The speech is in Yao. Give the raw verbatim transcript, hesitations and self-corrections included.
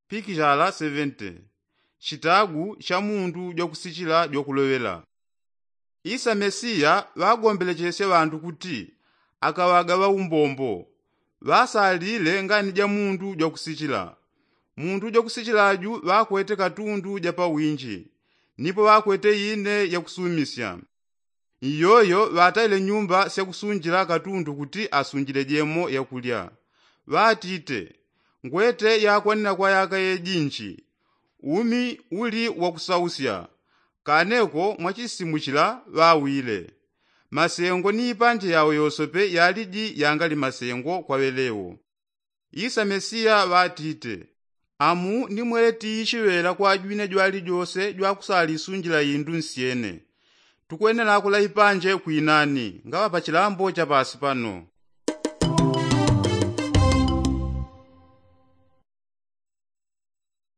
pikijala sevente. Chitagu cha mundu jwakusichila jwakuloŵela. Isa mesiya ŵagombelechesye ŵandu kuti akaŵagaŵa umbombo. Ŵasalile ngani ja mundu jwakusichila. Mundu jwakusichila ju ŵakwete katundu ja pawinji, nipo ŵakwete ine yakusumisya. Iyoyo ŵataile nyumba syakusunjila katundu kuti asunjile jemo yakulya. Ŵatite, ngwete yakwanila kwa yaka yejinji. Umi uli wakusausya. Kaneko mwachisimu chila ŵawile. Masengo ni ipanje yao yosope yaliji yangali masengo kwa ŵelewo. Isa mesiya ŵatite, amu nimwele tiichiŵela kwa jwine jwalijose jwakusalisunjila indu nsyene. Tukwenela kula ipanje kwinani ngaŵa pa chilambo cha pasi pano.